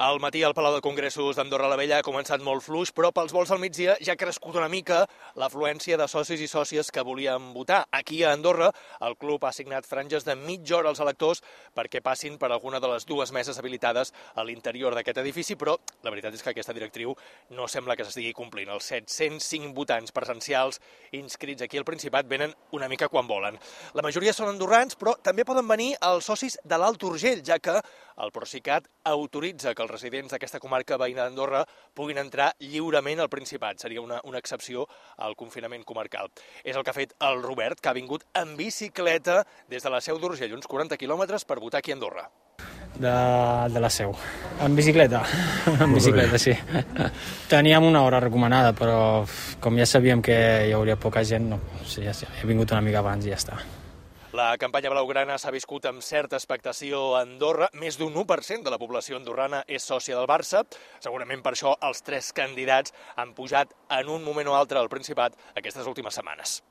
Al matí al Palau de Congressos d'Andorra la Vella ha començat molt fluix, però pels vols al migdia ja ha crescut una mica l'afluència de socis i sòcies que volien votar. Aquí a Andorra el club ha assignat franges de mitja hora als electors perquè passin per alguna de les dues meses habilitades a l'interior d'aquest edifici, però la veritat és que aquesta directriu no sembla que s'estigui complint. Els 705 votants presencials inscrits aquí al Principat venen una mica quan volen. La majoria són andorrans, però també poden venir els socis de l'Alt Urgell, ja que el Procicat autoritza que els residents d'aquesta comarca veïna d'Andorra puguin entrar lliurement al Principat. Seria una excepció al confinament comarcal. És el que ha fet el Robert, que ha vingut en bicicleta des de la Seu d'Urgell, uns 40 quilòmetres, per votar aquí a Andorra. De la Seu. En bicicleta. En bicicleta, sí. Teníem una hora recomanada, però com ja sabíem que hi hauria poca gent, no. Sí, ja he vingut una mica abans i ja està. La campanya blaugrana s'ha viscut amb certa expectació a Andorra. Més d'un 1% de la població andorrana és sòcia del Barça. Segurament per això els tres candidats han pujat en un moment o altre al Principat aquestes últimes setmanes.